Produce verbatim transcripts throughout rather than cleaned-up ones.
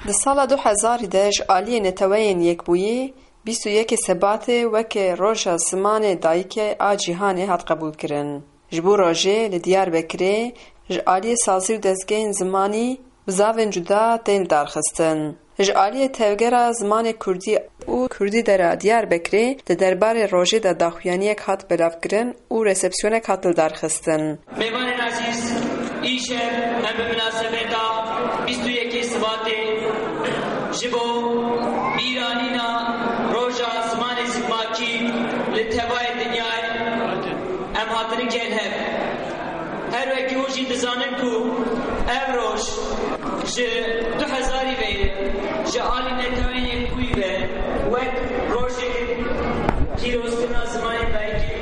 Di sala du hezarî de ji aliyê Neteweyên Yekbûyî bîst û yekê Sebatê weke Roja Zimanê Dayikê a Cîhanê hat qebûlkirin. Ji bo rojê li Diyarbekirê ji aliyê sazî û dezgehên zimanî bizavên cuda tên lidarxistin. Ji aliyê Tevgera Zimanê Kurdî û Kurdî Dera Diyarbekirê di derbarê rojê de daxuyaniyek hat belavkirin û resepsiyonek hat lidarxistin. Mêvanên ezîz, îşev em bi minasebeta bîst û yekê Sibatê ji bo bîranîna Roja Zimanê Zikmakî li tevayê dinyayê em hatine kên hev. Her wekî hûn jî dizanin ku ev roj ji du hezarî ve ye, ji alî Neteweyên Yekbûyî ve wek rojê pîrozkirina zimanê dayikê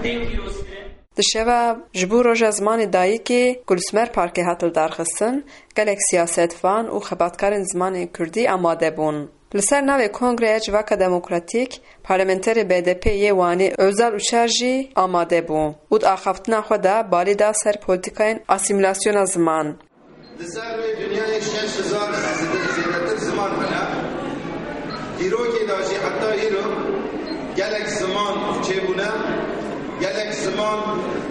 tên pîrozkirin. Di şeva ji bo Roja Zimanê Dayikê ku li Smer Parkê hat lidarxistin, gelek siyasetvan û xebatkarên zimanên kurdî amade bûn. Li ser navê Kongreya Civaka Demokratîk, parlamenterê B D P yê Wanê Ozal Uçar jî amade bû û di axaftina xwe de balê da ser polîtîkayên asîmîlasyona ziman. Li ser rûyê dinyayê şeş hezar zêde-, zêdetir ziman hene. Dîrokê de jî heta îro gelek ziman çêbûne, gelek ziman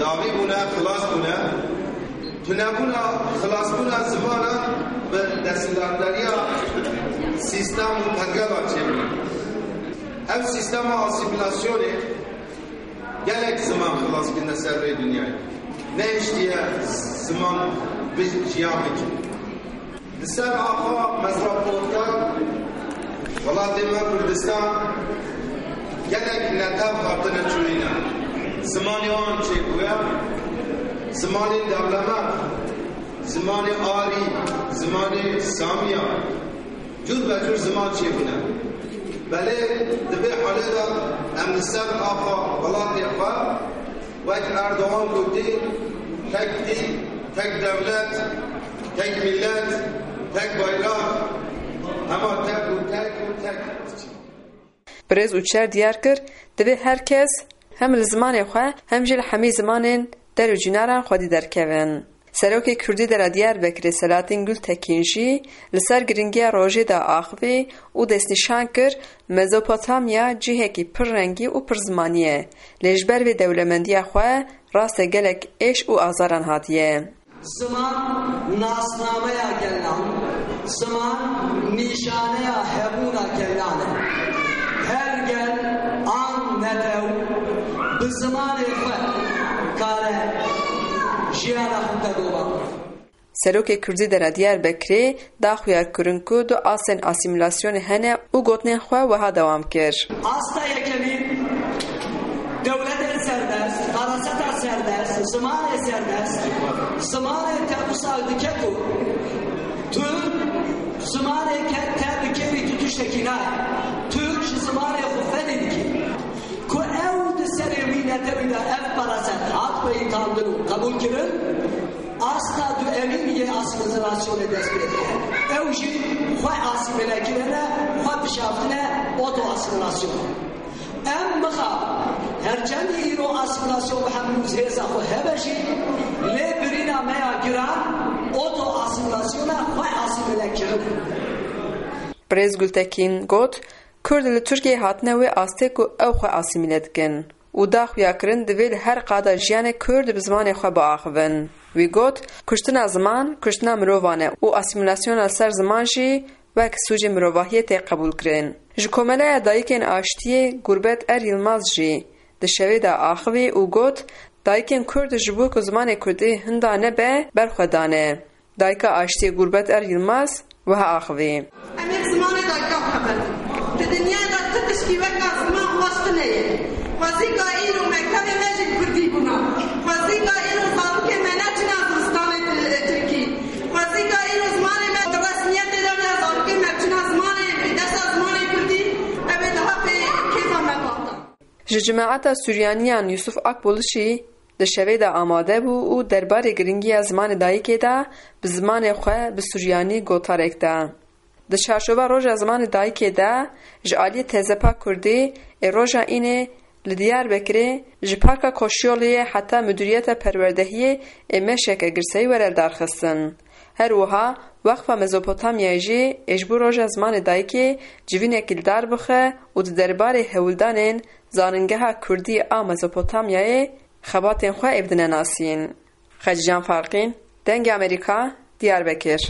dawî bûne, xilas bûne. Tunebûna, xilasbûna zimanan bi desthilatdariya sîstem û pergala çêbûne. Ev sîstema asîmîlasyonê gelek ziman xilas kirine ser rê dinyayê. Nehiştiye ziman bi jiyan bike. Li ser axa metropolitan welatê me Kurdistan gelek netew hatine çûyîne. Zimanê wan çêbûye, zimanê dewlemend, zimanê arî, zimanê samiya, cûr be cûr ziman çêbûne. Belê di vê halê de em li ser axa welatê xwe, wek Erdogan gotî, tek dîn, tek dewlet, tek milet, tek bayrak, hema tek û tek û tek. Birêz Uçer diyar kir, divê her kes hem li zimanê xwe hem jî li hemî zimanên der û cînaran xwedî derkevin. Serokê Kurdî Dera Diyarbekirê Selahattin Gultekin jî li ser giringiya rojê de axivî û destnîşan kir, Mezopotamya cihekî pir rengî û pir zimanî ye, lê ji ber vê dewlemendiya xwe rastê gelek êş û azaran hatiye. Ziman nasnameya gelan, ziman nîşaneya hebûna gelan e. Her gel an netew bi zimanê xwe kare jiyana xwe tedova. Serokê Kurdî Dera Diyarbekirê da xuyakirin ku du astên asîmîlasyonê hene û gotinên xwe wiha dewam kir. Asta yekemîn, dewletên serbest, paraseta serbest, zimanê serbest, zimanê te wisa dike ku tu zimanê ke te bi kêrî tu tiştekî nayê. Tu ji zimanê xwe fedî dikî. Ku ew di serê wî netewî de ev paraset hat peyitandin û qebûlkirin, asta duemîn yê asîmîlasyonê dest pê dike. Ew jî xwe asîmîle kirine, xwe bişaftine, oto-asîmîlasyon. Em mixabin, her çendî îro asîmîlasyon bi hemû hêza xwe hebe jî, lê birîna me ya giran oto-asîmîlasyona xwe asîmîle kirin e. Birêz Gultekin got, Kurd li Tirkiyeyê hatine wê astê ku ew xwe asîmîle dikin û da xuyakirin divê li her qada jiyanê Kurd bi zimanê xwe biaxivin. Wî got, Kuştina ziman, kuştina mirovan e û asîmîlasyona li ser ziman jî wek sûcê mirovahiyê tê qebûlkirin. Ji Komeleya Dayikên Aştiyê Gurbet Er Yilmaz jî di şevê de axivî û got, Dayikên Kurd ji bo ku zimanê Kurdî hinda nebe, berxwe dane. Dayika Aştiyê Gurbet Er Yilmaz wiha axivî. Em ê bi zimanê dayika xwe berdin. Di dinyayê de ti tiştî weka ziman xweş tune ye. Xwezîka îro mektebê me jî bi kurdî bûna. Xwezîka îro zarokê me neçûna zivistanê ti-, tirkî. Xwezîka îro zimanê me di resmiyetê de ne zarokê me biçûna zimanê, desta zimanê kurdî, ev ê daha pê kêfa me bata. Ji Cemaeta Suryaniyan Yusuf Akbul jî di şevê de amade bû û derbarê giringiya zimanê dayikê de bi zimanê xwe bi suryanî gotarek da. Di çarçova Roja Zimanê Dayikê de ji aliyê Tezepa Kurdî ê roja înê li Diyarbekirê ji Parka Koşyoliyê heta Mudiriyeta Perwerdehiyê ê Meşeke girseyî were lidarxistin. Her wiha Weqfa Mezopotamyayê jî ê ji bo Roja Zimanê Dayikê civînekî li dar bixe û di derbarê hewldanên Zaningeha Kurdî a Mezopotamyayê xebatên xwe ê bidine nasîn. Xecîcan Farqîn, Dengê Amerîka, Diyarbekir.